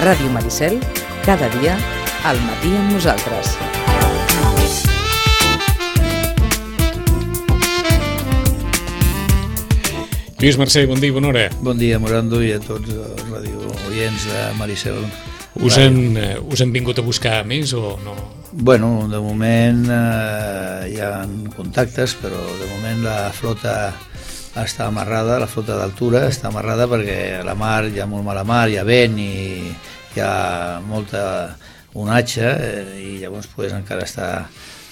Ràdio Maricel, cada dia, al matí amb nosaltres. Lluís Mercè, bon dia i bona hora. Bon dia, Morando, i a tots els radiooients de Maricel. Us han vingut a buscar més o no? Bueno, de moment hi ha contactes, però de moment la flota està amarrada, la flota d'altura està amarrada perquè la mar, hi ha molt mala mar, hi ha vent i hi ha molta onatge i llavors pues, encara està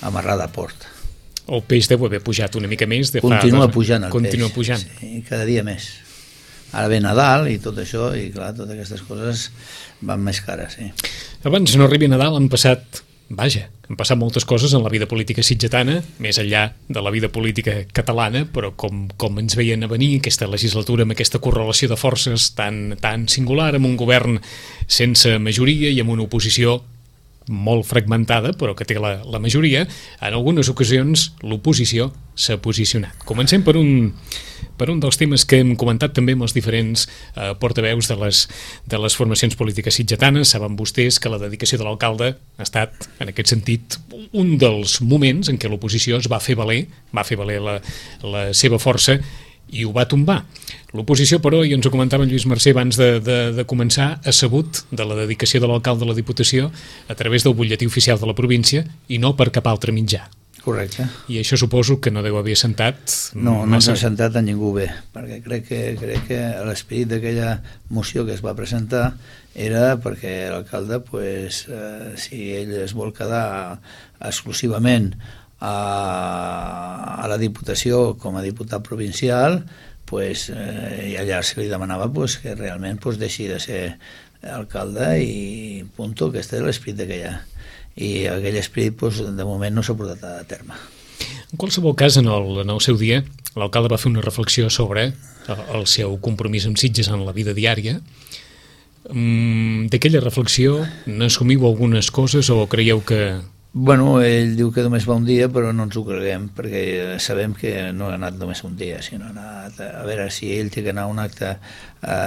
amarrada a port. El peix deu haver pujat una mica més. Continua pujant el Continua peix. Pujant. Sí, cada dia més. Ara ve Nadal i tot això, i clar, totes aquestes coses van més cares, sí. Abans no arribi Nadal han passat moltes coses en la vida política sitgetana, més enllà de la vida política catalana, però com ens veien a venir aquesta legislatura amb aquesta correlació de forces tan singular, amb un govern sense majoria i amb una oposició molt fragmentada, però que té la majoria, en algunes ocasions l'oposició s'ha posicionat. Comencem per un dels temes que hem comentat també amb els diferents portaveus de les formacions polítiques sitgetanes. Saben vostès que la dedicació de l'alcalde ha estat, en aquest sentit, un dels moments en què l'oposició es va fer valer la seva força i ho va tombar. L'oposició, però, i ens ho comentava en Lluís Mercè abans de començar, ha sabut de la dedicació de l'alcalde a la Diputació a través del butlletí oficial de la província i no per cap altre mitjà. Correcte. I això suposo que no deu haver sentat... No s'ha sentat a ningú bé, perquè crec que l'esperit d'aquella moció que es va presentar era perquè l'alcalde, pues, si ell es vol quedar exclusivament a la Diputació com a diputat provincial, pues, i allà se li demanava pues, que realment pues, deixi de ser alcalde i punto, que este és l'esperit d'aquella. I aquell esperit pues, de moment no s'ha portat a terme. En qualsevol cas, en el seu dia, l'alcalde va fer una reflexió sobre el seu compromís amb Sitges en la vida diària. D'aquella reflexió n'assumiu algunes coses o creieu que... Bueno, ell diu que només va un dia, però no ens ho creguem, perquè sabem que no ha anat només un dia, sinó ha anat a veure si ell té que anar a un acte,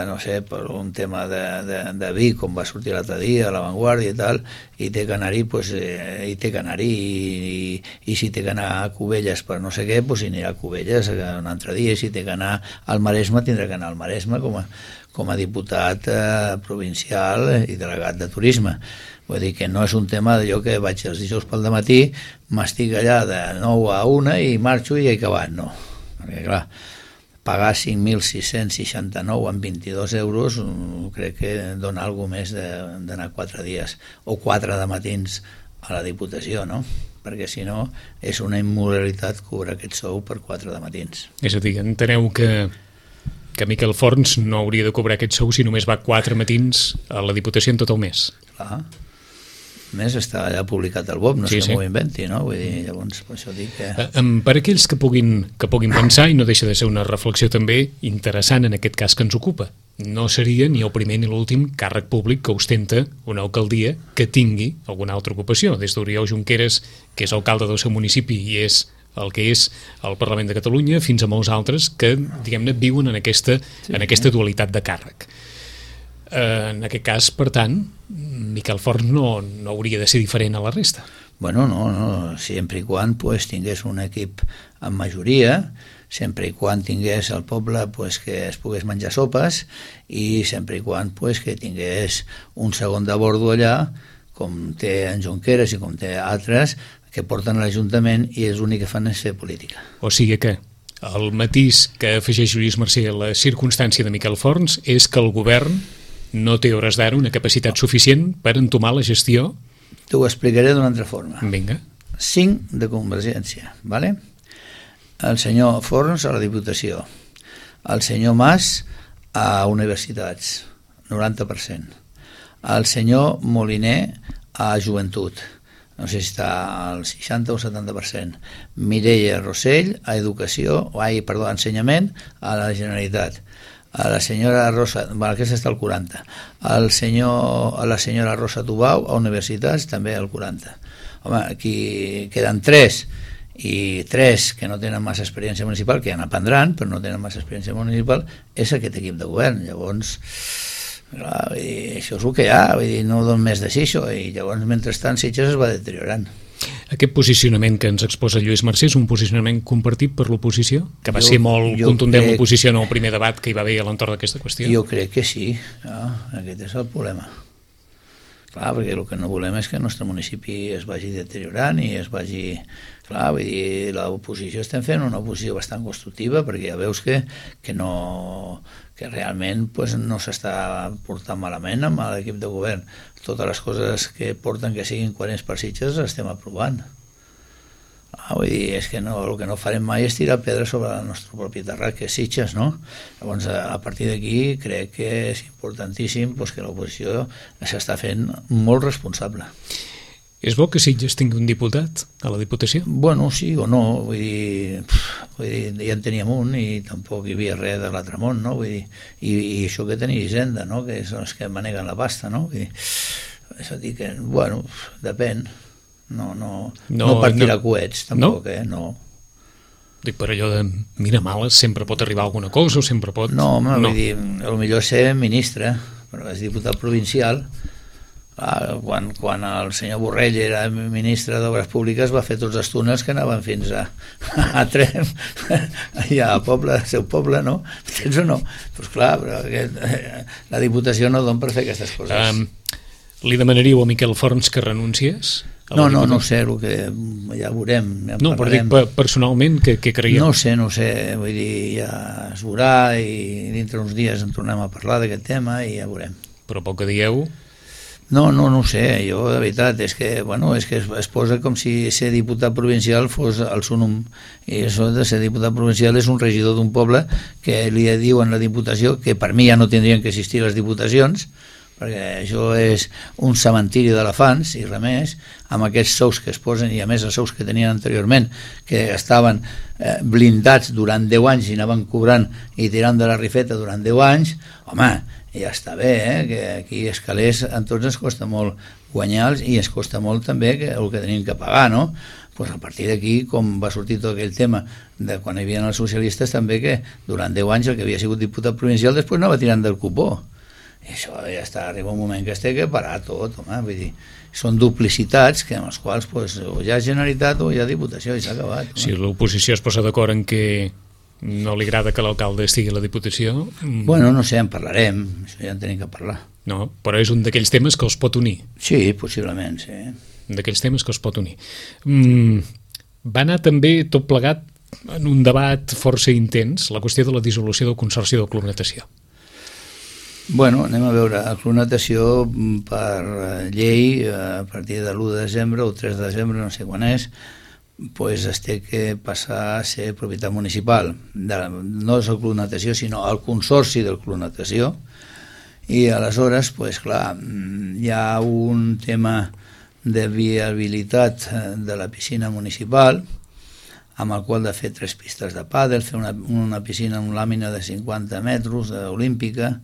no sé, per un tema de vi, com va sortir l'altre dia, a La Vanguardia i tal, i té que anar-hi, pues, i té que anar-hi, i si té que anar a Cubelles per no sé què, pues anirà a Cubelles un altre dia, i si té que anar al Maresme, tindrà que anar al Maresme com a diputat provincial i delegat de turisme. Vull dir que no és un tema d'allò que vaig els dijous pel dematí, m'estic allà de 9 a 1 i marxo i he acabat, no. Perquè clar, pagar 5.669 amb 22 euros crec que dona alguna més d'anar 4 dies o 4 de matins a la Diputació, no? Perquè si no és una immoralitat cobrar aquest sou per 4 de matins. És a dir, enteneu que Miquel Forns no hauria de cobrar aquest sou si només va 4 matins a la Diputació en tot el mes. Clar. A més, està allà publicat al BOP, no és que m'ho inventi, no? Vull dir, llavors, per això dic que... Per aquells que puguin pensar, i no deixa de ser una reflexió també interessant en aquest cas que ens ocupa, no seria ni el primer ni l'últim càrrec públic que ostenta una alcaldia que tingui alguna altra ocupació. Des d'Oriol Junqueras, que és alcalde del seu municipi i és el que és el Parlament de Catalunya, fins a molts altres que, diguem-ne, viuen en aquesta dualitat de càrrec. En aquest cas, per tant, Miquel Forns no hauria de ser diferent a la resta. Bueno, no, sempre i quan pues, tingués un equip amb majoria, sempre i quan tingués el poble pues, que es pogués menjar sopes i sempre i quan pues, que tingués un segon de bordo allà, com té en Junqueras i com té altres, que porten a l'Ajuntament i és l'únic que fan és fer política. O sigui que el matís que afegeix Lluís Mercè a la circumstància de Miquel Forns és que el govern no té hores d'ara una capacitat suficient per entomar la gestió. T'ho explicaré d'una altra forma. Vinga. 5 de Convergència, ¿vale? El senyor Forns a la Diputació, el senyor Mas a Universitats, 90%, el senyor Moliner a Joventut, no sé si està al 60 o 70%, Mireia Rossell a Ensenyament a la Generalitat, a la senyora Rosa, aquesta està al 40, a la senyora Rosa Tubau a Universitats també al 40. Home, aquí queden 3 i 3 que no tenen massa experiència municipal, que ja n'aprendran però no tenen massa experiència municipal, és aquest equip de govern. Llavors Clar, vull dir, això és el que hi ha, vull dir, no don més de sí això, i llavors mentrestant Sitges es va deteriorant. Aquest posicionament que ens exposa Lluís Mercè és un posicionament compartit per l'oposició? Que va ser molt contundent l'oposició en el primer debat que hi va haver a l'entorn d'aquesta qüestió? Jo crec que sí, aquest és el problema. Clar, perquè el que no volem és que el nostre municipi es vagi deteriorant i es vagi... Clar, vull dir, l'oposició estem fent una oposició bastant constructiva perquè ja veus que realment pues, no s'està portant malament amb l'equip de govern. Totes les coses que porten que siguin coherents per Sitges les estem aprovant. Vull dir, és que no, el que no farem mai és tirar pedra sobre el nostre propi terrat, que és Sitges, no? Llavors, a partir d'aquí, crec que és importantíssim pues, que l'oposició s'està fent molt responsable. És bo que Sitges tingui un diputat a la Diputació? Bueno, sí o no, vull dir, ja en teníem un i tampoc hi havia res de l'altre món, no? Vull dir, i això que tenia Hisenda, no? Que són els que maneguen la pasta, no? Vull dir, és a dir que, bueno, depèn, no per tirar coets, tampoc, no? Dic, per allò de mira males, sempre pot arribar alguna cosa o sempre pot... No, vull dir, potser ser ministre, però és diputat provincial. Quan el senyor Borrell era ministre d'Obres Públiques va fer tots els túnels que anaven fins a Trem, allà al poble, al seu poble, no? Tens o no? Doncs clar, però la Diputació no don per fer aquestes coses. Li demanaríeu a Miquel Forns que renunciés? No sé, el que ja veurem. Ja no, però dic personalment, què creieu? No sé, vull dir, ja es veurà i dintre uns dies en tornem a parlar d'aquest tema i ja veurem. Però pel que dieu... No ho sé, jo de veritat és que es posa com si ser diputat provincial fos el súnum, i això de ser diputat provincial és un regidor d'un poble que li diuen la Diputació, que per mi ja no tindrien que existir les diputacions, perquè això és un cementiri d'elefants i res més, amb aquests sous que es posen i a més els sous que tenien anteriorment, que estaven blindats durant 10 anys i anaven cobrant i tirant de la rifeta durant 10 anys, home, ja està bé, que aquí els calés a tots ens costa molt guanyar-los i ens costa molt també el que tenim que pagar, no? Pues a partir d'aquí, com va sortir tot aquell tema de quan hi havia els socialistes, també que durant 10 anys el que havia sigut diputat provincial després anava tirant del cupó. I això ja està, arriba un moment que es té que parar tot, home, vull dir, són duplicitats que amb les quals pues, o hi ha Generalitat o hi ha Diputació i s'ha acabat. Home. Si l'oposició es posa d'acord en que no li agrada que l'alcalde estigui a la Diputació... Bueno, no sé, en parlarem, això ja en tenim que parlar. No, però és un d'aquells temes que els pot unir. Sí, possiblement, sí. D'aquells temes que els pot unir. Va anar també tot plegat en un debat força intens, la qüestió de la dissolució del Consorci del Club Natació. Bueno, anem a veure, el Club Natació per llei a partir de l'1 de desembre o 3 de desembre, no sé quan és, pues es té que passar a ser propietat municipal. No és el Club Natació, sinó el Consorci del Club Natació. I aleshores, pues clar, hi ha un tema de viabilitat de la piscina municipal, amb el qual de fer 3 pistes de pàdel, fer una piscina amb làmina de 50 metres olímpica,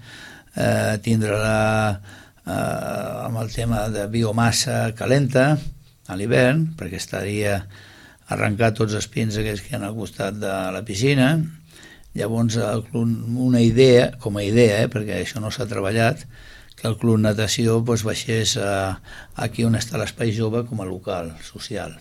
tindre-la amb el tema de biomassa calenta a l'hivern, perquè estaria arrencar tots els pins aquells que hi ha al costat de la piscina. Llavors una idea, com a idea, perquè això no s'ha treballat, que el Club Natació pues, baixés aquí on està l'Espai Jove com a local social.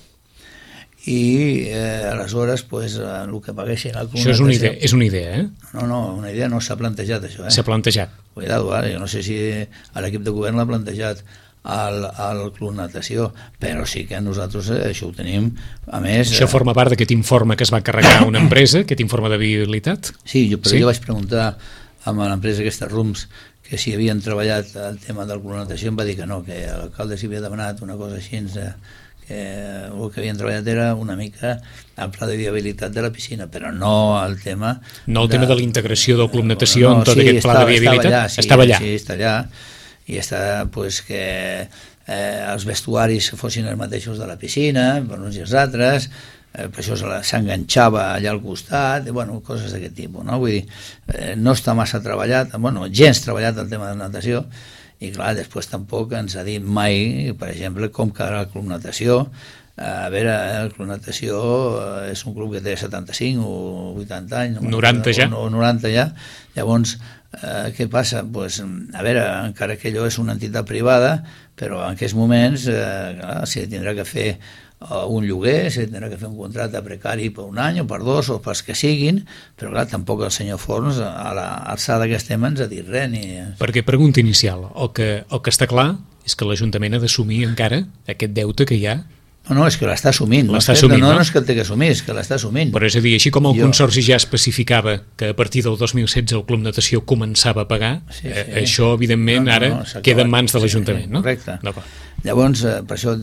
I aleshores pues, el que paguessin al Club Natació... Això és una idea, eh? No, una idea no s'ha plantejat, això. S'ha plantejat. Cuidado, jo no sé si l'equip de govern l'ha plantejat al Club Natació, però sí que nosaltres això ho tenim, a més... Això forma part d'aquest informe que es va carregar una empresa, aquest informe de viabilitat? Sí, jo vaig preguntar a l'empresa aquesta RUMS que si havien treballat el tema del Club Natació, em va dir que no, que l'alcalde s'hi havia demanat una cosa així, que el que havien treballat era una mica el pla de viabilitat de la piscina, però no el tema... No el tema de la integració del Club Natació en tot aquest pla de viabilitat? Estava allà. Sí, està allà. I està pues, que els vestuaris fossin els mateixos de la piscina, per uns i els altres, per això s'enganxava allà al costat, bueno, coses d'aquest tipus, no? Vull dir, no està massa treballat, bueno, gens treballat el tema de natació, i clar, després tampoc ens ha dit mai, per exemple, com quedarà el Club Natació, A veure, el Club Natació és un club que té 75 o 80 anys. 90 ja. O 90 ja. Llavors, què passa? Pues, a veure, encara que allò és una entitat privada, però en aquests moments clar, s'hi tindrà que fer un lloguer, s'hi tindrà que fer un contracte precari per un any o per dos o pels que siguin, però clar, tampoc el senyor Forns a l'alçada que estem ens ha dit res. Perquè, pregunta inicial, el que està clar és que l'Ajuntament ha d'assumir encara aquest deute que hi ha. No, és que l'està assumint. No és que el té que assumir, és que l'està assumint. Però és a dir, així com el Consorci ja especificava que a partir del 2016 el Club Natació començava a pagar, això, evidentment, ara queda en mans de l'Ajuntament, no? Correcte. Llavors, per això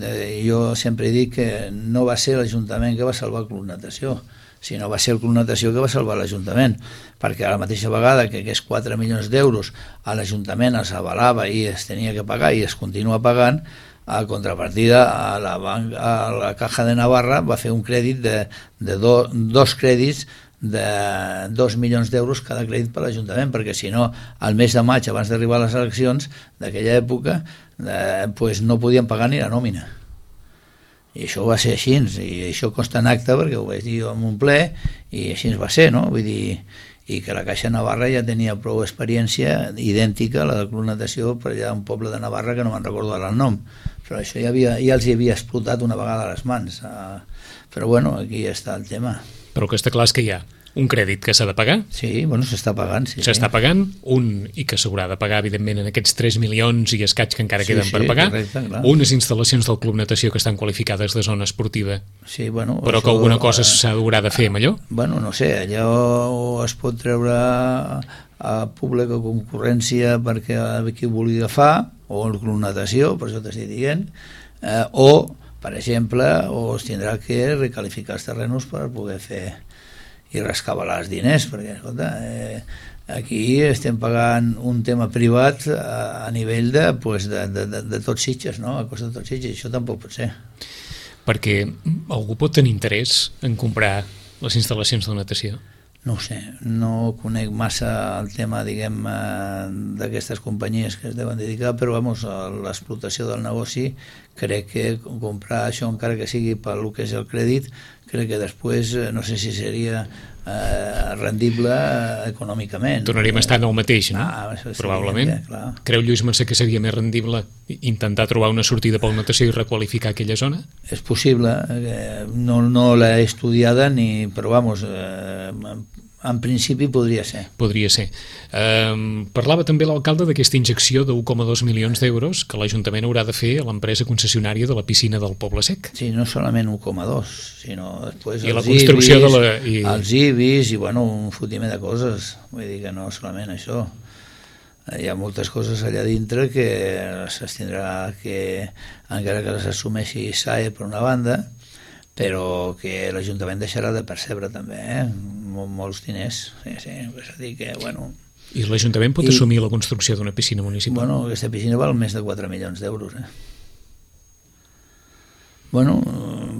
jo sempre dic que no va ser l'Ajuntament que va salvar el Club Natació, sinó va ser el Club Natació que va salvar l'Ajuntament, perquè a la mateixa vegada que aquests 4 milions d'euros a l'Ajuntament es avalava i es tenia que pagar i es continua pagant, a contrapartida a la Caja de Navarra va fer un crèdit de dos crèdits de 2 milions d'euros cada crèdit per l'Ajuntament, perquè si no, al mes de maig, abans d'arribar a les eleccions d'aquella època, pues no podien pagar ni la nòmina. I això va ser així, i això consta en acte, perquè ho vaig dir jo en un ple, i així va ser, no? Vull dir, i que la Caixa Navarra ja tenia prou experiència idèntica a la del Club Natació per allà un poble de Navarra que no me'n recordo ara el nom, però això ja els hi havia explotat una vegada a les mans, però bueno, aquí està el tema. Però el que està clar és que hi ha un crèdit que s'ha de pagar. Sí, bueno, s'està pagant. Sí, s'està pagant, i que s'haurà de pagar, evidentment, en aquests 3 milions i escaig que encara queden per pagar. Correcte, clar. Unes instal·lacions del Club Natació que estan qualificades de zona esportiva, sí, bueno, però això, que alguna cosa s'haurà de fer amb allò? Bueno, no sé, allò es pot treure a pública concurrència perquè qui ho vulgui agafar, o el Club Natació, per això t'estic dient, o, per exemple, es tindrà que recalificar els terrenos per poder fer i rescabalar els diners, perquè escolta, aquí estem pagant un tema privat a nivell de tots Sitges, no? A costa de tots Sitges, això tampoc pot ser. Perquè algú pot tenir interès en comprar les instal·lacions de natació? No ho sé, no conec massa el tema, diguem, d'aquestes companyies que es deuen dedicar, però vamos, a l'explotació del negoci crec que comprar això, encara que sigui pel que és el crèdit, crec que després no sé si seria rendible econòmicament. Tornaríem a estar en el mateix, no? Sí, probablement. Clar. Creu Lluís Mercè que seria més rendible intentar trobar una sortida pel natació i requalificar aquella zona? És possible, no l'he estudiada però vamos, en principi podria ser. Podria ser. Parlava també l'alcalde d'aquesta injecció de 1,2 milions d'euros que l'Ajuntament haurà de fer a l'empresa concessionària de la piscina del Poble Sec. Sí, no solament 1,2, sinó després I la construcció els IBIs i bueno, un fotiment de coses. Vull dir que no solament això. Hi ha moltes coses allà dintre que es tindrà que, encara que les assumeixi SAE per una banda, però que l'Ajuntament deixarà de percebre també, molts diners. Sí, és a dir que, bueno... I l'Ajuntament pot assumir la construcció d'una piscina municipal? Bueno, aquesta piscina val més de 4 milions d'euros, Bueno,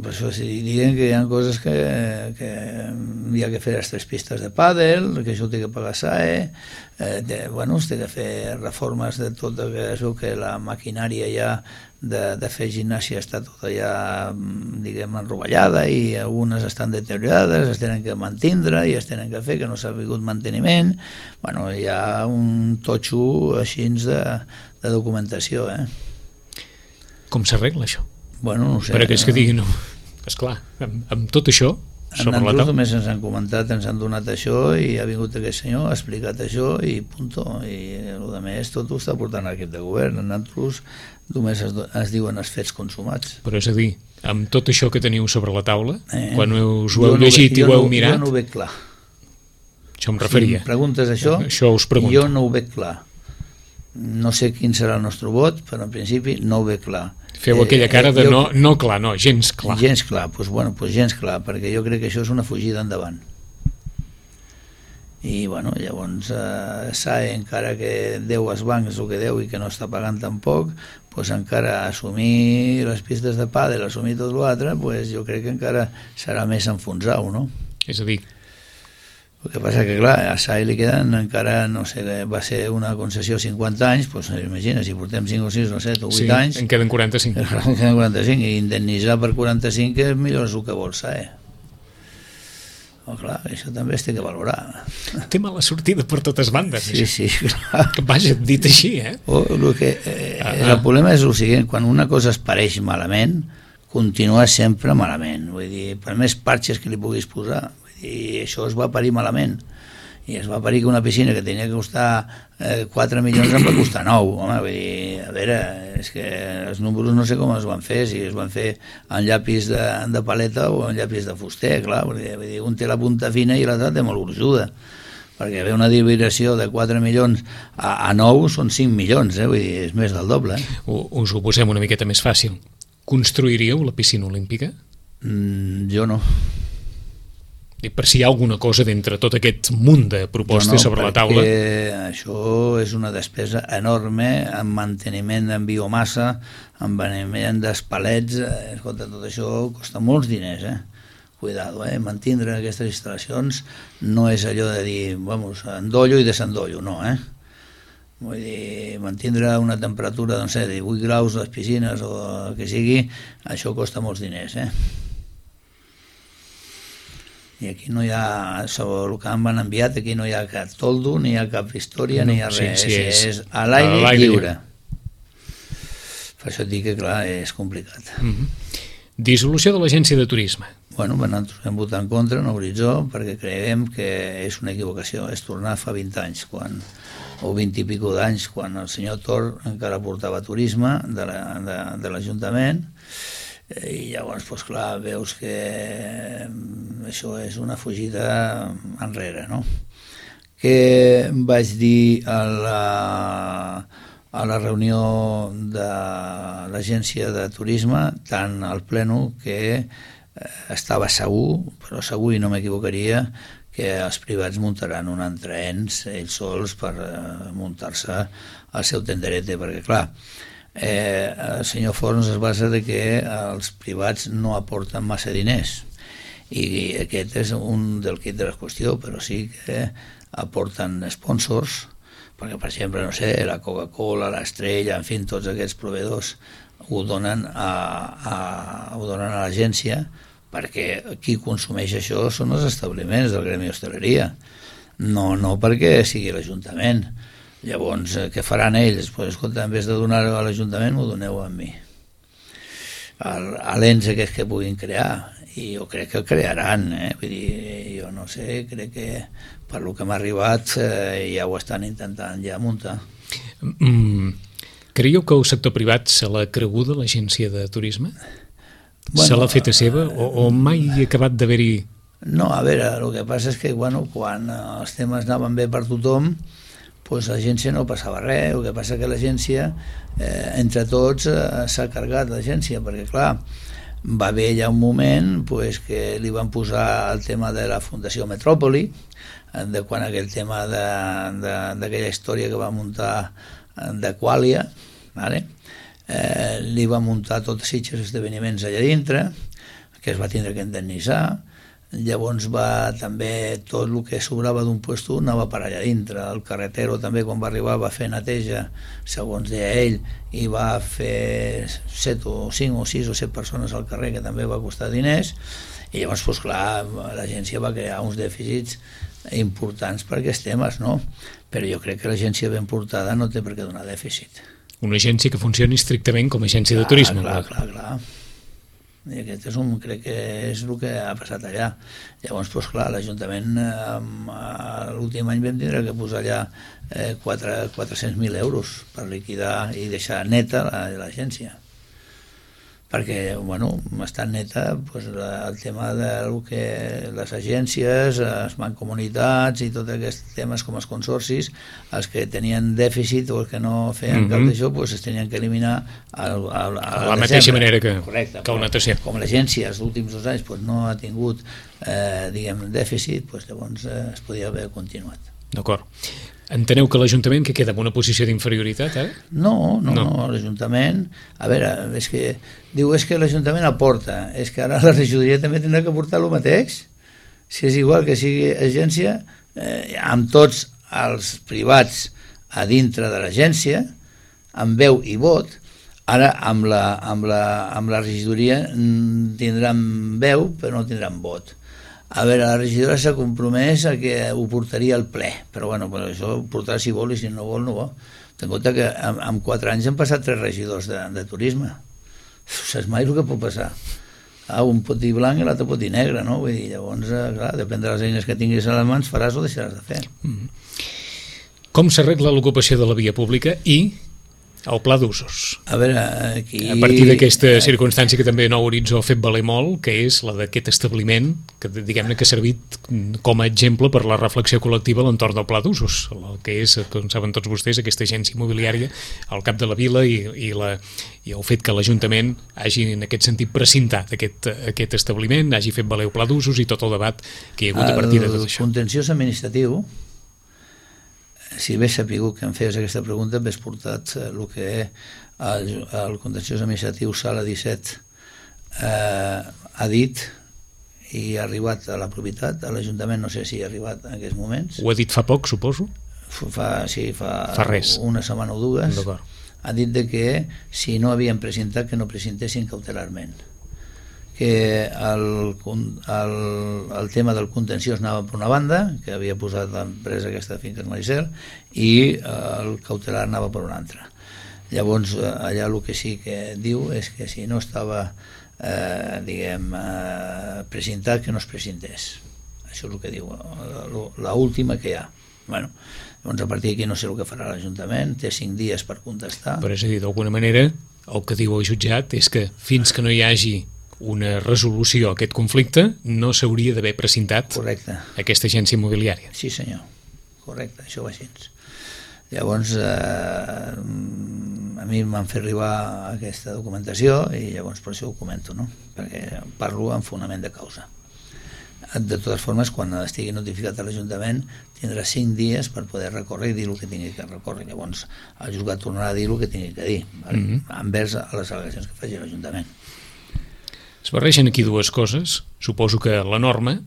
per això sí, diguem que hi ha coses que hi ha que fer les 3 pistes de pàdel, que això ho té que pagar SAE, bueno, es té que fer reformes de tot el que es veu que la maquinària ja de fer gimnàsia està tota ja, diguem, enrovellada i algunes estan deteriorades, es tenen que mantindre i es tenen que fer, que no s'ha vingut manteniment. Bueno, hi ha un totxo així de documentació, Com s'arregla això? Bueno, no ho sé. Per aquells que diguin, no, esclar, amb tot això sobre la taula... Només ens han comentat, ens han donat això i ha vingut aquest senyor, ha explicat això i punto. I el que més tot ho està portant l'equip de govern. Nosaltres només es diuen els fets consumats. Però és a dir, amb tot això que teniu sobre la taula, quan us ho heu llegit i ho heu mirat... Jo no ho veig clar. Això em referia. Si em preguntes això us pregunto. Jo no ho veig clar. No sé quin serà el nostre vot, però en principi no ho veig clar. Feu aquella cara de no clar, no, gens clar. Gens clar, doncs bueno, gens clar, perquè jo crec que això és una fugida endavant. I bueno, llavors SAE, encara que deu als bancs el que deu i que no està pagant tampoc, doncs encara assumir les pistes de pàdel, assumir tot l'altre, doncs jo crec que encara serà més enfonsau, no? És a dir, El que passa que, clar, a SAI li queden encara, no sé, va ser una concessió 50 anys, doncs imagina, si portem 5 o 6 o 7 o 8 anys... en queden 45. En queden 45, i indemnitzar per 45 és millor el que vol SAI. Oh, clar, això també es té que valorar. Té mala sortida per totes bandes. Sí, clar. Vaja, dit així, El problema és el següent, quan una cosa es pareix malament, continua sempre malament. Vull dir, per més parxes que li puguis posar, i això es va parir malament, i es va parir que una piscina que tenia que costar 4 milions em va costar 9. Home, vull dir, a veure, és que els números no sé com es van fer, si es van fer en llapis de paleta o en llapis de fuster, clar, vull dir, un té la punta fina i l'altre té molt gruixuda, perquè ve una divisió de 4 milions a 9 són 5 milions, vull dir, és més del doble. Us ho posem una miqueta més fàcil. Construiríeu la piscina olímpica? Jo no. I per si hi ha alguna cosa d'entre tot aquest munt de propostes sobre la taula. Això és una despesa enorme en manteniment en biomassa, en manteniment d'espalets, escolta, tot això costa molts diners, Cuidado, mantindre aquestes instal·lacions no és allò de dir, vamos, endollo i desendollo, no, Vull dir, mantindre una temperatura, doncs, de 18 graus a les piscines o el que sigui, això costa molts diners, I aquí no hi ha, sobre el que m'han enviat, aquí no hi ha cap toldo, ni hi ha cap història, ni hi ha res, és a l'aire lliure. Per això et dic que, clar, és complicat. Dissolució de l'Agència de Turisme. Bueno, nosaltres hem votat en contra, en Horitzó, perquè creiem que és una equivocació, és tornar fa 20 anys, o 20 i pico d'anys, quan el senyor Tor encara portava turisme de l'Ajuntament, i llavors, doncs clar, veus que això és una fugida enrere, no? Què vaig dir a la reunió de l'Agència de Turisme, tant al Pleno, que estava segur, però segur i no m'equivocaria, que els privats muntaran un entreens ells sols per muntar-se el seu tenderete, perquè clar, el senyor Forns es basa que els privats no aporten massa diners i aquest és un del quid de la qüestió, però sí que aporten sponsors, perquè per exemple, no sé, la Coca-Cola, l'Estrella, en fi, tots aquests proveïdors ho donen a l'agència, perquè qui consumeix això són els establiments del gremi d'hostaleria, no perquè sigui l'Ajuntament. Llavors, què faran ells? Pues, escolta, en vez de donar-ho a l'Ajuntament, m'ho doneu a mi. L'ens aquest que puguin crear, i jo crec que el crearan, vull dir, jo no sé, crec que per lo que m'ha arribat ja ho estan intentant ja muntar. Creieu que el sector privat se l'ha creguda l'Agència de Turisme? Bueno, se l'ha feta seva o mai ha acabat d'haver-hi... No, a veure, el que passa és que quan els temes anaven bé per tothom, doncs l'agència no passava res, el que passa que l'agència, entre tots, s'ha carregat l'agència, perquè clar, va haver ja un moment que li van posar el tema de la Fundació Metròpoli, de quan aquell tema d'aquella història que va muntar de Quàlia, li va muntar tots els esdeveniments allà dintre, que es va tindre que indemnitzar. Llavors també tot el que sobrava d'un puesto anava per allà dintre. El carretero també quan va arribar va fer neteja, segons deia ell, i va fer 5 o 6 o 7 persones al carrer, que també va costar diners, i llavors, doncs clar, l'agència va crear uns dèficits importants per aquests temes, no? Però jo crec que l'agència ben portada no té per què donar dèficit. Una agència que funcioni estrictament com a agència de turisme. Clar. I aquest crec que és el que ha passat allà. Llavors, doncs clar, l'Ajuntament l'últim any vam tindre que posar allà 400.000 euros per liquidar i deixar neta l'agència. Perquè, està neta el tema del que les agències, les mancomunitats i tots aquests temes com els consorcis, els que tenien dèficit o els que no feien cap d'això, es tenien que eliminar a la mateixa manera que una natació. Com l'agència els últims 2 anys no ha tingut dèficit, llavors es podia haver continuat. D'acord. Enteneu que l'Ajuntament que queda en una posició d'inferioritat, No, l'Ajuntament... A veure, és que l'Ajuntament aporta, és que ara la regidoria també tindrà que aportar el mateix. Si és igual que sigui agència, amb tots els privats a dintre de l'agència, amb veu i vot. Ara amb la regidoria tindran veu però no tindran vot. A veure, la regidora s'ha compromès a que ho portaria al ple, però bueno, això ho portarà si vol i si no vol, no vol. Ten en compte que en 4 anys han passat 3 regidors de turisme. Saps mai el que pot passar? Un pot dir blanc i l'altre pot dir negre, no? Vull dir, llavors, clar, depèn de les eines que tinguis a les mans, faràs o deixaràs de fer. Com s'arregla l'ocupació de la via pública i el pla d'usos? A veure, aquí... A partir d'aquesta circumstància que també Nou Horitzó ha fet valer molt, que és la d'aquest establiment, que diguem-ne que ha servit com a exemple per la reflexió col·lectiva a l'entorn del pla d'usos, el que és, com saben tots vostès, aquesta agència immobiliària al cap de la vila i el fet que l'Ajuntament hagi en aquest sentit precintat aquest establiment, hagi fet valer el pla d'usos i tot el debat que hi ha hagut a partir de tot això. El contenciós administratiu, si hagués sapigut que em feies aquesta pregunta, m'hagués portat el que el contenciós administratiu Sala 17 ha dit i ha arribat a la propietat, a l'Ajuntament no sé si ha arribat en aquests moments. Ho ha dit fa poc, suposo? Fa res. Una setmana o dues. Ha dit que si no havien presentat que no presentessin cautelarment, que el tema del contenciós anava per una banda, que havia posat l'empresa aquesta de Finques Maricel, i el cautelar anava per una altra. Llavors allà el que sí que diu és que si no estava presentat, que no es presentés. Això és el que diu l'última que hi ha. Bueno, llavors a partir d'aquí no sé el que farà l'Ajuntament, té 5 dies per contestar. Però és a dir, d'alguna manera el que diu el jutjat és que fins que no hi hagi una resolució a aquest conflicte no s'hauria d'haver presentat aquesta agència immobiliària. Sí senyor, correcte, això va així. Llavors a mi m'han fet arribar aquesta documentació i llavors per això ho comento, no? Perquè parlo en fonament de causa. De totes formes, quan estigui notificat a l'Ajuntament tindrà 5 dies per poder recórrer i dir el que tingui que recórrer. Llavors el jutjat tornarà a dir el que tingui que dir, envers a les al·legacions que faci l'Ajuntament. Es barregen aquí dues coses. Suposo que la norma,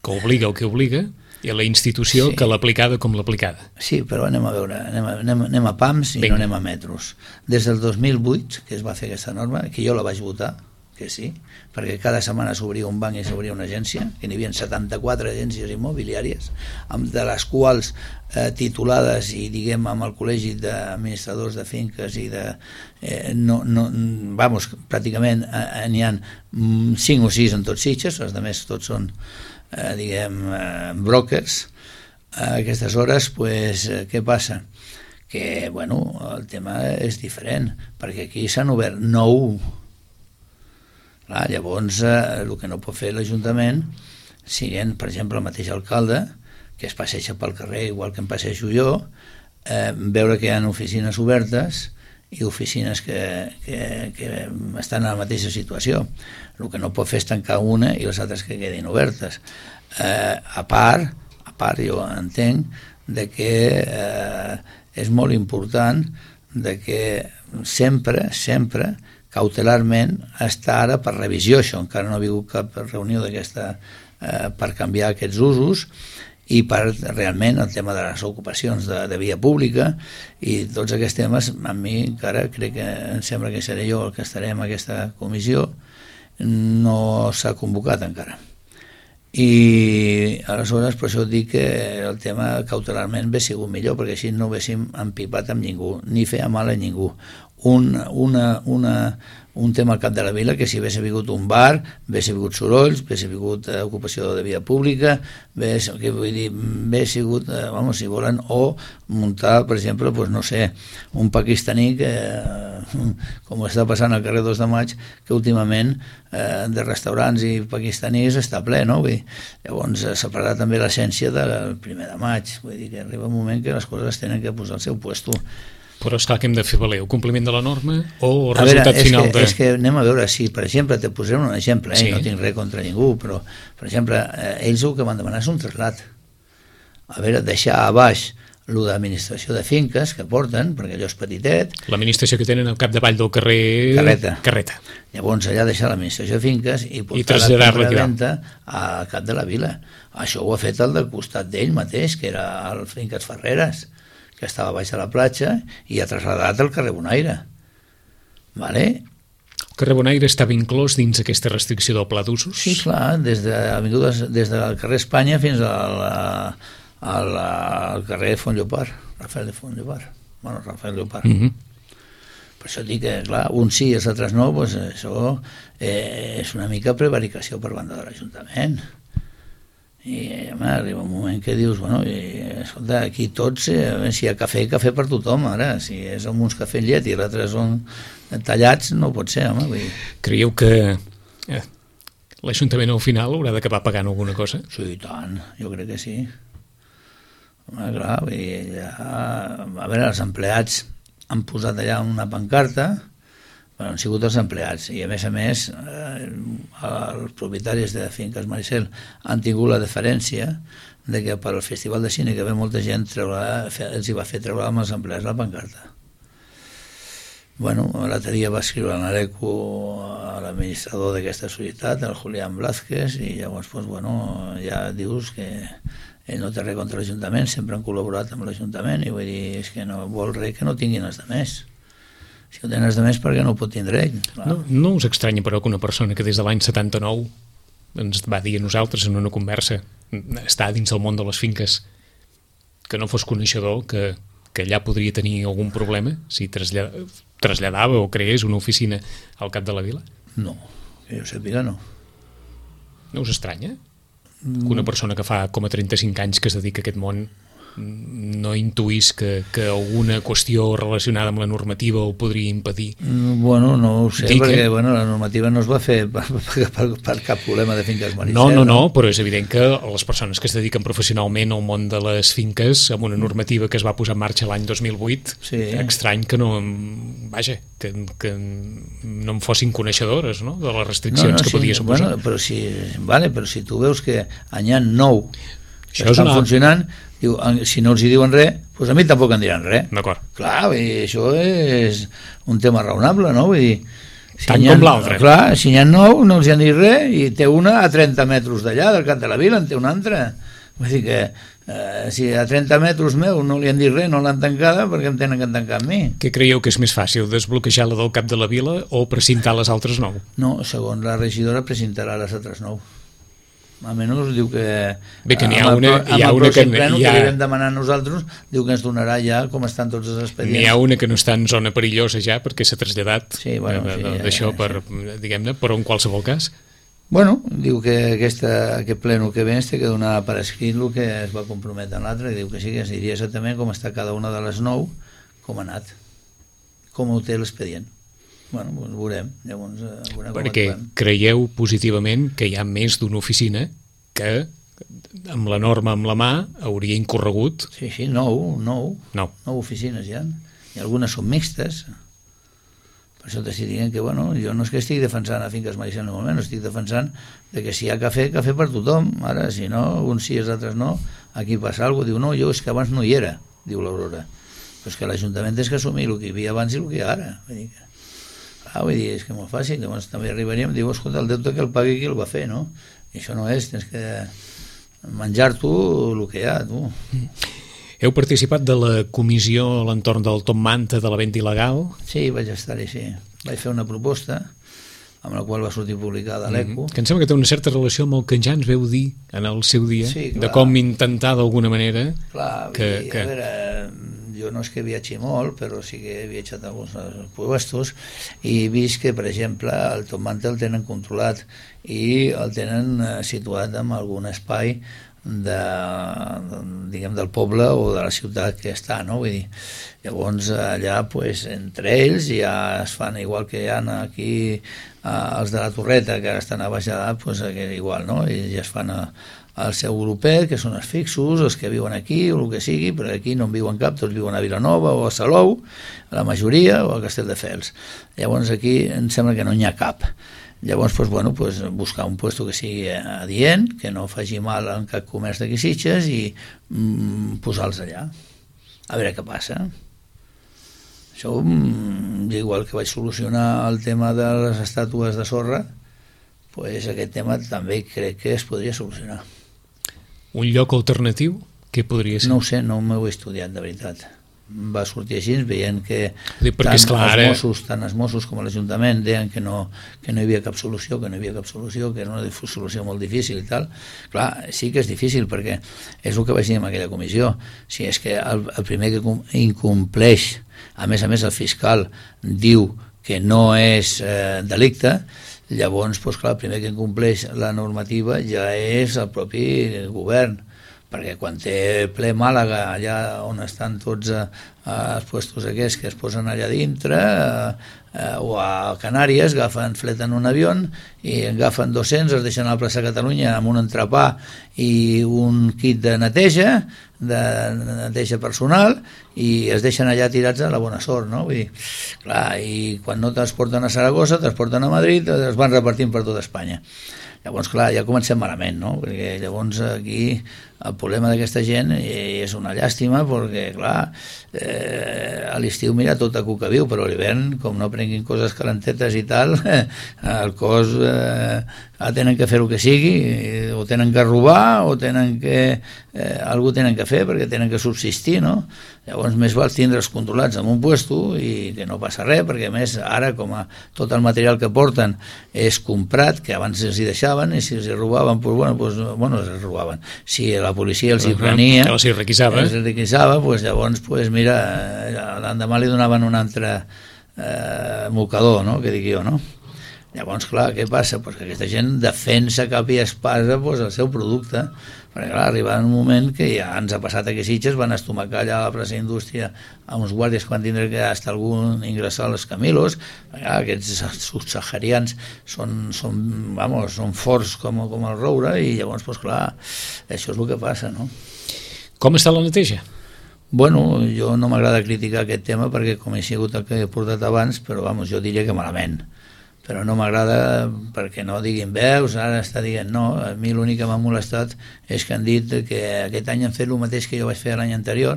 que obliga el que obliga, i la institució, que l'aplicada com l'aplicada. Sí, però anem a veure, anem a pams i no anem a metros. Des del 2008, que es va fer aquesta norma, que jo la vaig votar, que sí, perquè cada setmana s'obria un banc i s'obria una agència, que n'hi havia 74 agències immobiliàries, de les quals titulades i diguem amb el col·legi d'administradors de finques i de... pràcticament n'hi ha 5 o 6 en tots Sitges, els altres tots són brokers. A aquestes hores, què passa? Que, el tema és diferent, perquè aquí s'han obert 9. Llavors, el que no pot fer l'Ajuntament, siguent, per exemple, el mateix alcalde, que es passeja pel carrer igual que em passejo jo, veure que hi ha oficines obertes i oficines que estan en la mateixa situació. El que no pot fer és tancar una i les altres que quedin obertes. A part, jo entenc que és molt important que sempre cautelarment està ara per revisió, això encara no ha hagut cap reunió d'aquesta per canviar aquests usos i per realment el tema de les ocupacions de via pública i tots aquests temes. A mi encara crec que em sembla que seré jo el que estaré en aquesta comissió, no s'ha convocat encara i aleshores per això dic que el tema cautelarment hauria sigut millor, perquè així no haguéssim empipat amb ningú ni feia mal a ningú. Un tema al cap de la vila, que si hagués hagut un bar, hagués hagut sorolls, hagués hagut ocupació de via pública, hagués sigut, si volen, o muntar, per exemple, no sé, un pakistaní que, com està passant al carrer 2 de Maig, que últimament de restaurants i pakistanis està ple, no? Llavors s'ha perdut també l'essència del 1 de maig, vull dir que arriba un moment que les coses tenen que posar al seu puesto. Però esclar, que hem de fer valer el compliment de la norma o el resultat final de... És que anem a veure, si per exemple, te posem un exemple, no tinc res contra ningú, però per exemple, ells el que van demanar és un trasllat. A veure, deixar a baix el d'administració de finques que porten, perquè allò és petitet. L'administració que tenen al capdavall del carrer... Carreta. Llavors allà deixar l'administració de finques i portar la venda al cap de la vila. Això ho ha fet el del costat d'ell mateix, que era el Finques Ferreres, que estava baix de la platja, i ha traslladat al carrer Bonaire. Vale? El carrer Bonaire estava inclòs dins aquesta restricció del pla d'usos? Sí, clar, des del carrer Espanya fins al carrer Font Llopart, Rafael de Font Llopart. Bueno, Rafael Llopart. Per això dic que, clar, un sí i els altres no, doncs això és una mica prevaricació per banda de l'Ajuntament. I home, arriba un moment que dius, bueno, escolta, aquí tots, si hi ha cafè per tothom, ara, si som uns cafè amb llet i l'altre són tallats, no pot ser, home. Vull dir. Creieu que l'Ajuntament al final haurà d'acabar pagant alguna cosa? Sí, i tant, jo crec que sí. Home, clar, vull dir, a veure, els empleats han posat allà una pancarta, bueno, han sigut els empleats, i a més els propietaris de Finques Maricel han tingut la deferència de que per al Festival de Cine, que ve molta gent, els hi va fer treure amb els empleats la pancarta. Bueno, l'altre dia va escriure a l'Areco a l'administrador d'aquesta societat, el Julián Blázquez, i llavors, doncs, bueno, ja dius que ell no té res contra l'Ajuntament, sempre han col·laborat amb l'Ajuntament, i vull dir, és que no vol res que no tinguin els de més. Si ho tenen els de més, per què no ho pot tindre ell? No us estranya, però, que una persona que des de l'any 79 ens va dir a nosaltres en una conversa, està dins del món de les finques, que no fos coneixedor, que allà podria tenir algun problema si traslladava o creés una oficina al cap de la vila? No, que jo sàpiga no. No us estranya? Que una persona que fa com a 35 anys que es dedica a aquest món no intuís que alguna qüestió relacionada amb la normativa ho podria impedir? Bueno, no ho sé, perquè la normativa no es va fer per cap problema de Finques Maricel. No, però és evident que les persones que es dediquen professionalment al món de les finques, amb una normativa que es va posar en marxa l'any 2008, estrany que no, vaja, que no en fossin coneixedores, no?, de les restriccions que podia suposar. Però si tu veus que any 9 estan funcionant, diu, si no els hi diuen res, doncs a mi tampoc em diran res. D'acord. Clar, això és un tema raonable, no? Vull dir, tant com l'altre. Clar, si n'hi ha 9, no els hi han dit res, i té una a 30 metres d'allà, del cap de la vila, en té una altra. Vull dir que si a 30 metres meu no li han dit res, no l'han tancada, perquè em tenen que tancar amb mi. Què creieu que és més fàcil, desbloquejar la del cap de la vila o precintar les altres 9? No, segons la regidora precintarà les altres 9. Almenys diu que bé, que n'hi ha una que li vam demanar nosaltres, diu que ens donarà ja com estan tots els expedients. N'hi ha una que no està en zona perillosa ja perquè s'ha traslladat d'això per, diguem-ne, però en qualsevol cas. Bueno, diu que aquest pleno que ve ens té que donar per escrit el que es va comprometre en l'altre, i diu que sí, que ens diria exactament com està cada una de les 9, com ha anat, com ho té l'expedient. Bueno, doncs veurem. Llavors, perquè creieu positivament que hi ha més d'una oficina que amb la norma amb la mà hauria incorregut? Sí, 9 oficines hi ha. I algunes són mixtes. Per això t'estic dient que, bueno, jo no és que estigui defensant a Finques Maricel en el moment, estic defensant que si hi ha cafè per tothom. Ara, si no, uns sí i els altres no, aquí passa alguna cosa. Diu, no, jo és que abans no hi era, diu l'Aurora. Però és que l'Ajuntament és que assumir el que hi havia abans i el que hi ha ara. Vull dir, és que molt fàcil, llavors també arribaríem, diu, escolta, el deute que el pagui qui el va fer, no? I això no és, tens que menjar tu el que hi ha, tu. Heu participat de la comissió a l'entorn del Top Manta de la venda il·legal? Sí, vaig estar-hi, sí. Vaig fer una proposta amb la qual va sortir publicada a l'ECO. Que em sembla que té una certa relació amb el que ja ens veu dir en el seu dia, de com intentar d'alguna manera... Clar, a veure, jo no és que viatgi molt, però sí que he viatjat a alguns puestos i he vist que, per exemple, el Top Manta el tenen controlat i el tenen situat en algun espai del poble o de la ciutat que està, no? Vull dir, llavors allà, entre ells, ja es fan igual que hi ha aquí els de la Torreta, que ara estan a baixada, igual, no? I ja es fan al seu grupet, que són els fixos, els que viuen aquí, o el que sigui, però aquí no en viuen cap, tots viuen a Vilanova o a Salou, la majoria, o a Castelldefels. Llavors aquí em sembla que no n'hi ha cap. Llavors, buscar un puesto que sigui adient, que no faci mal en cap comerç d'aquí Sitges i posar-los allà. a veure què passa. Això, igual que vaig solucionar el tema de les estàtues de sorra, pues aquest tema també crec que es podria solucionar. Un lloc alternatiu? Què podria ser? No ho sé, no m'ho he estudiat, de veritat. Va sortir així, veient que tant els Mossos com l'Ajuntament deien que no hi havia cap solució, que era una solució molt difícil i tal. Clar, sí que és difícil, perquè és el que vaig dir en aquella comissió. Si és que el primer que incompleix, a més el fiscal diu que no és delicte, llavors, doncs clar, el primer que incompleix la normativa ja és el propi govern, perquè quan té ple Màlaga, allà on estan tots els puestos aquests que es posen allà dintre, o a Canàries, fleten un avió i agafen 200, es deixen a la plaça Catalunya amb un entrepà i un kit de neteja personal, i es deixen allà tirats a la bona sort, no? Vull dir, clar, i quan no transporten a Saragossa, transporten a Madrid, es van repartint per tota Espanya. Llavors, clar, ja comencem malament, no? Perquè llavors aquí el problema d'aquesta gent és una llàstima, perquè, clar, a l'estiu mira tot a cuca viu, però a l'hivern, com no prenguin coses calentetes i tal, el cos tenen que fer el que sigui, o tenen que robar, o tenen que algú tenen que fer perquè tenen que subsistir, no? Llavors més val tindre'ls controlats en un puesto i que no passa res, perquè a més ara com tot el material que porten és comprat, que abans els hi deixaven, i si els hi robaven, bueno, els robaven. Si la policia els hi prenia, els hi requisava, llavors, mira, l'endemà li donaven un altre mocador, no?, que dic jo, no? Llavors, clar, què passa? Pues que aquesta gent defensa cap i espasa el seu producte, perquè clar, arriba un moment que ja ens ha passat que Sitges van estomacar allà a la plaça Indústria a uns guàrdies que van tindre que hasta algú ingressar als Camilos. Aquests subsaharians són forts com el roure, i llavors, pues clar, això és el que passa, no? Com està la neteja? Bueno, jo no m'agrada criticar aquest tema perquè com he sigut el que he portat abans, però jo diria que malament. Però no m'agrada perquè no diguin veus, ara està dient no. A mi l'únic que m'ha molestat és que han dit que aquest any han fet el mateix que jo vaig fer l'any anterior,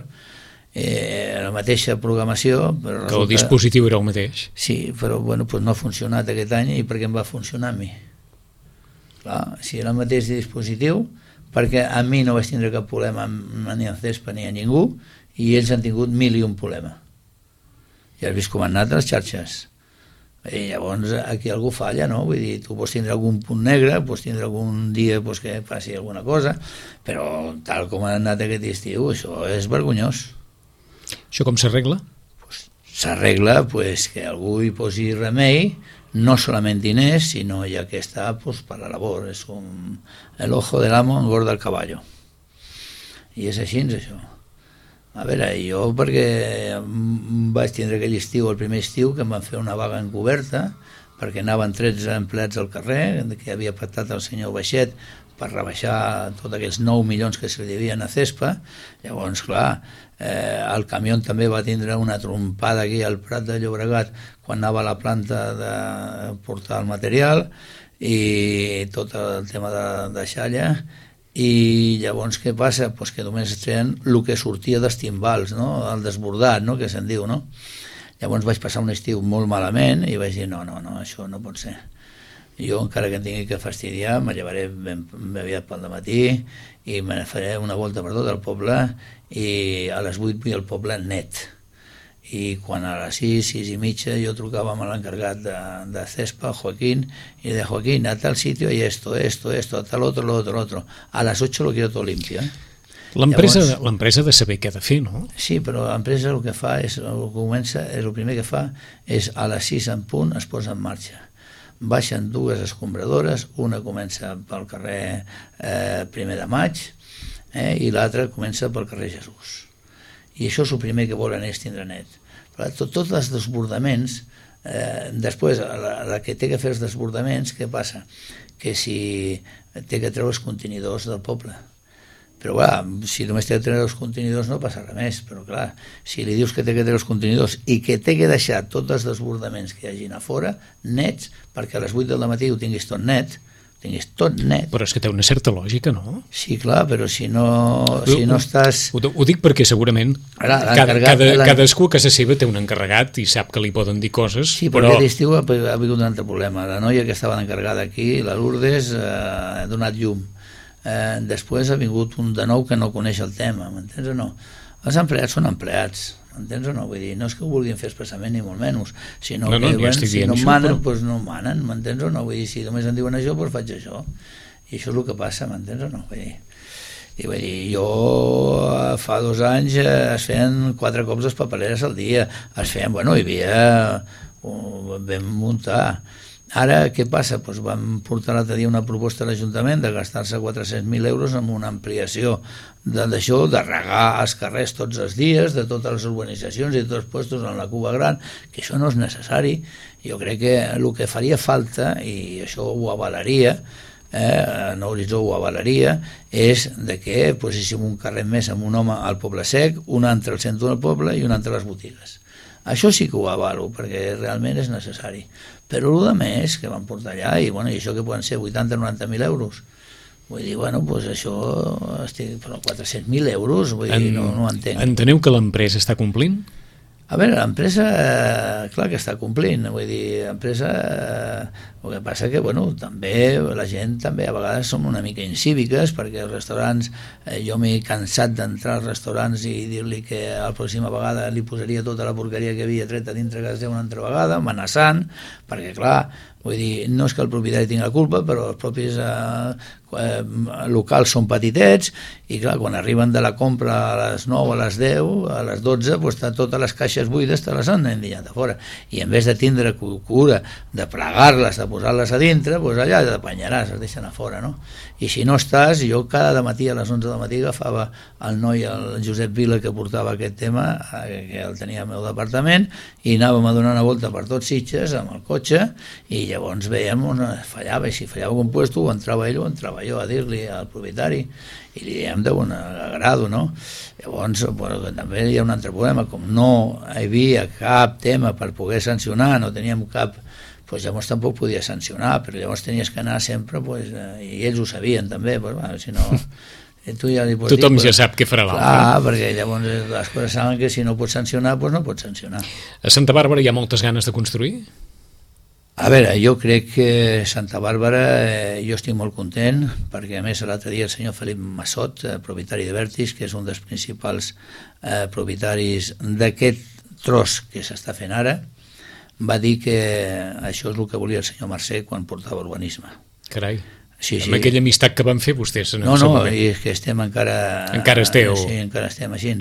la mateixa programació. Però que el dispositiu era el mateix. Sí, però bueno, pues no ha funcionat aquest any, i per què em va funcionar a mi? Clar, si era el mateix dispositiu, perquè a mi no vaig tindre cap problema ni en Cespa ni a ningú, i ells han tingut 1001 problema. Ja has vist com han anat les xarxes. I llavors aquí algú falla, no? Vull dir, tu pots tindre algun punt negre, pots tindre algun dia que passi alguna cosa, però tal com ha anat aquest estiu, això és vergonyós. Això com s'arregla? S'arregla que algú hi posi remei, no solament diners, sinó ja que està per la labor. És com el ojo del amo engorda el caballo. I és així, això. A veure, jo perquè vaig tindre aquell estiu, el primer estiu, que em van fer una vaga encoberta, perquè anaven 13 empleats al carrer, que havia pactat el senyor Baixet per rebaixar tots aquells 9 milions que se li devien a Cespa. Llavors, clar, el camió també va tindre una trompada aquí al Prat de Llobregat quan anava a la planta de portar el material, i tot el tema de xalla. I llavors què passa? Pues que només treien el que sortia dels timbals, no? El desbordat, no? Que se'n diu, no? Llavors vaig passar un estiu molt malament i vaig dir no, això no pot ser. Jo, encara que em tingui que fastidiar, me llevaré ben aviat pel dematí i me faré una volta per tot el poble, i a les 8 vull el poble net. I quan a les 6 i mitja jo trucava amb l'encarregat de Cespa, Joaquín, y de Joaquín, a tal sitio y esto, a tal otro, lo otro. A las 8 lo quiero todo limpio. L'empresa ha de saber què ha de fer, no? Sí, però l'empresa el que fa és, el primer que fa és a les 6 en punt es posa en marxa. Baixen 2 escombradores, una comença pel carrer 1 de Maig, i l'altra comença pel carrer Jesús. I això és el primer que volen ells tindre net. Tots els desbordaments, després, la que té que fer els desbordaments, què passa? Que si té que treure els contenidors del poble. Però clar, si només té que treure els contenidors no passa res més, però clar, si li dius que té que treure els contenidors i que té que deixar tots els desbordaments que hi hagin a fora nets, perquè a les 8 del matí ho tinguis tot net, tinguis tot net. Però és que té una certa lògica, no? Sí, clar, però si no estàs... Ho dic perquè segurament cadascú a casa seva té un encarregat i sap que li poden dir coses, sí, però aquest estiu ha hagut un altre problema. La noia que estava encarregada aquí, la Lourdes, ha donat llum. Després ha vingut un de nou que no coneix el tema, m'entens o no? Els empleats són empleats, m'entens o no? Vull dir, no és que ho vulguin fer expressament ni molt menys, sinó que si no manen, doncs no manen, m'entens o no? Vull dir, si només em diuen això, doncs faig això. I això és el que passa, m'entens o no? Vull dir, jo fa 2 anys es feien 4 cops les papereres al dia, es feien, bueno, hi havia... vam muntar. Ara, què passa? Doncs vam portar l'altre dia una proposta a l'Ajuntament de gastar-se 400.000 euros en una ampliació d'això, de regar els carrers tots els dies, de totes les urbanitzacions i tots els puestos en la Cuba Gran, que això no és necessari. Jo crec que el que faria falta, i això ho avalaria, en Horitzó ho avalaria, és de que poséssim un carrer més amb un home al Poble Sec, un altre al centre del poble i un altre a les botigues. Això sí que ho avalo, perquè realment és necessari. Però el de més que van portar allà, i això que poden ser 80-90.000 euros, vull dir, doncs això, però 400.000 euros, vull dir, no ho entenc. Enteneu que l'empresa està complint? A veure, l'empresa, clar que està complint, vull dir, l'empresa, el que passa que, també la gent també a vegades som una mica incíviques, perquè els restaurants, jo m'he cansat d'entrar als restaurants i dir-li que la pròxima vegada li posaria tota la porqueria que havia tret a dintre casa una altra vegada, amenaçant, perquè clar, vull dir, no és que el propietari tingui la culpa, però els propis locals són petitets i clar, quan arriben de la compra a les 9, a les 10, a les 12, doncs totes les caixes buides te les han endinyat a fora. I en vez de tindre cura de plegar-les, de posar-les a dintre, doncs allà t'apanyaràs, es deixen a fora, no? I si no estàs, jo cada matí a les 11 del matí agafava el noi, el Josep Vila, que portava aquest tema, que el tenia al meu departament, i anàvem a donar una volta per tots Sitges amb el cotxe, i llavors veiem on fallava, i si fallava un puesto o entrava ell o entrava jo a dir-li al propietari, i li diem de bon agrado, no? Llavors, també hi ha un altre problema, com no hi havia cap tema per poder sancionar, no teníem cap, doncs llavors tampoc podia sancionar, però llavors tenies que anar sempre, i ells ho sabien també, si no... Tu ja li pots tothom dir, ja sap què farà l'altre. Clar, perquè llavors les coses saben que si no pots sancionar, doncs no pots sancionar. A Santa Bàrbara hi ha moltes ganes de construir? A veure, jo crec que Santa Bàrbara, jo estic molt content, perquè a més l'altre dia el senyor Felip Massot, propietari de Vertis, que és un dels principals propietaris d'aquest tros que s'està fent ara, va dir que això és el que volia el senyor Mercè quan portava urbanisme. Carai, sí. Amb aquella amistat que van fer vostès. No, i és que estem encara... Encara esteu. Sí, encara estem així.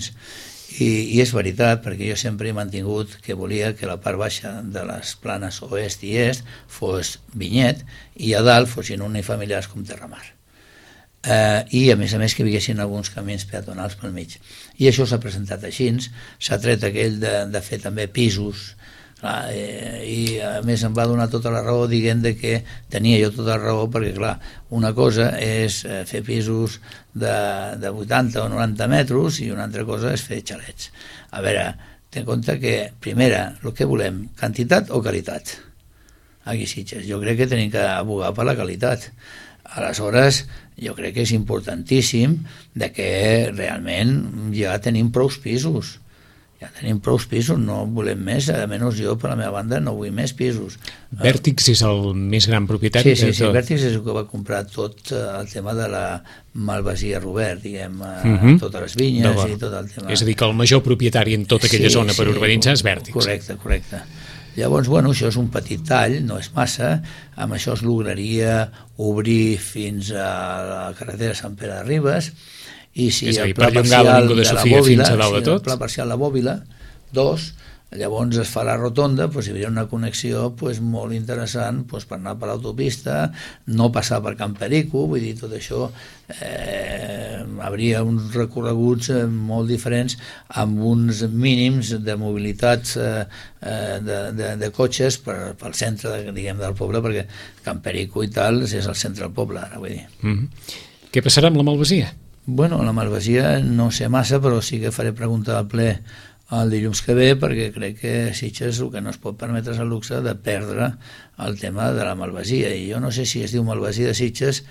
I és veritat, perquè jo sempre he mantingut que volia que la part baixa de les planes oest i est fos vinyet i a dalt fossin unifamiliars com Terramar. I a més que hi haguessin alguns camins peatonals pel mig. I això s'ha presentat així, s'ha tret aquell de fer també pisos, i a més em va donar tota la raó dient que tenia jo tota la raó, perquè clar, una cosa és fer pisos de 80 o 90 metres i una altra cosa és fer xalets. A veure, ten en compte que primera, el que volem, quantitat o qualitat? Aquí Sitges, jo crec que tenim que abogar per la qualitat. Aleshores, jo crec que és importantíssim de que realment ja tenim prou pisos. Ja tenim prou pisos, no volem més, almenys jo per la meva banda no vull més pisos. Vèrtix és el més gran propietari? Sí, Vèrtix és el que va comprar tot el tema de la Malvasia Robert, diguem, totes les vinyes i tot el tema. És a dir, que el major propietari en tota aquella zona per urbanitzar és Vèrtix. Correcte. Llavors, això és un petit tall, no és massa, amb això es lograria obrir fins a la carretera Sant Pere de Ribes, i si el pla parcial de la Bòbila 2, llavors es fa la rotonda, hi hauria una connexió molt interessant per anar per l'autopista, no passar per Can Perico, vull dir, tot això hauria uns recorreguts molt diferents amb uns mínims de mobilitat de cotxes pel centre del poble, perquè Can Perico i tal és el centre del poble ara, vull dir. Què passarà amb la Malvasia? Bueno, la Malvasia no sé massa, però sí que faré pregunta al ple el dilluns que ve, perquè crec que Sitges el que no es pot permetre és el luxe de perdre el tema de la malvasia, i jo no sé si es diu malvasia de Sitges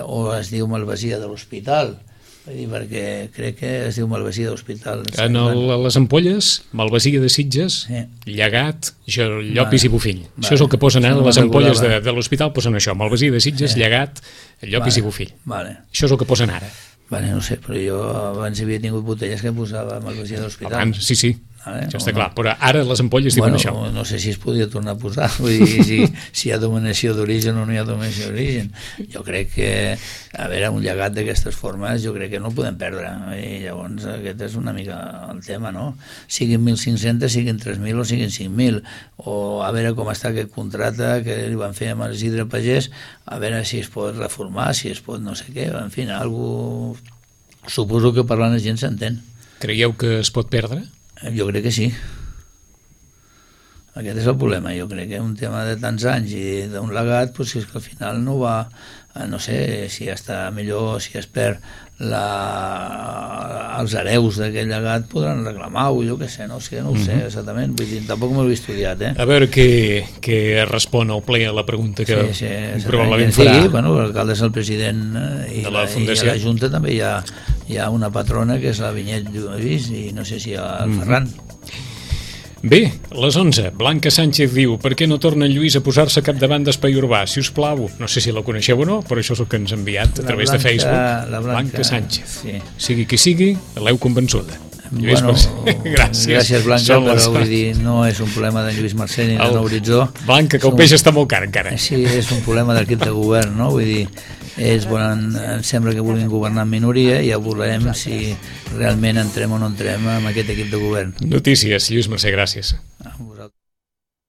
o es diu malvasia de l'hospital, perquè crec que es diu malvasia de l'hospital. En les ampolles, malvasia de Sitges, Llegat, Llopis i Bofill. Això és el que posen ara, les ampolles de l'hospital posen això, malvasia de Sitges, Llegat, Llopis i Bofill. Això és el que posen ara. No sé, però jo abans havia tingut botelles que posava malvasia de l'hospital. Abans, sí. Això està clar, però ara les ampolles diuen això. No sé si es podia tornar a posar, vull dir, si hi ha dominació d'origen o no hi ha dominació d'origen. Jo crec que, a veure, un llegat d'aquestes formes, jo crec que no el podem perdre, i llavors aquest és una mica el tema, no? Siguin 1.500, siguin 3.000 o siguin 5.000, o a veure com està aquest contracte que li van fer amb Isidre Pagès, a veure si es pot reformar, si es pot no sé què, en fi, algú... Suposo que parlant la gent s'entén. Creieu que es pot perdre? Jo crec que sí. Aquest és el problema. Jo crec que un tema de tants anys i d'un legat, doncs és que al final no va, no sé si està millor, si es perd els hereus d'aquell llegat podran reclamar-ho, jo què sé, no ho sé exactament, vull dir, tampoc m'ho he estudiat, A veure què respon el ple a la pregunta que probablement farà. L'alcalde és el president i a la Junta també hi ha una patrona que és la Vinyet Lluís i no sé si el Ferran. Bé, les 11. Blanca Sánchez diu: per què no torna en Lluís a posar-se capdavant d'Espai Urbà, si us plau? No sé si la coneixeu o no, però això és el que ens ha enviat a través de Facebook. Blanca Sánchez. Sigui qui sigui, l'heu convençuda. Lluís Mercè, gràcies Blanca, però vull dir, no és un problema de Lluís Mercè ni de Nou Horitzó. Blanca, que el peix està molt car encara. Sí, és un problema d'equip de govern, no? Vull dir, em sembla que vulguin governar en minoria i ja veurem si realment entrem o no entrem amb aquest equip de govern. Notícies, Lluís Mercè, gràcies. A vosaltres.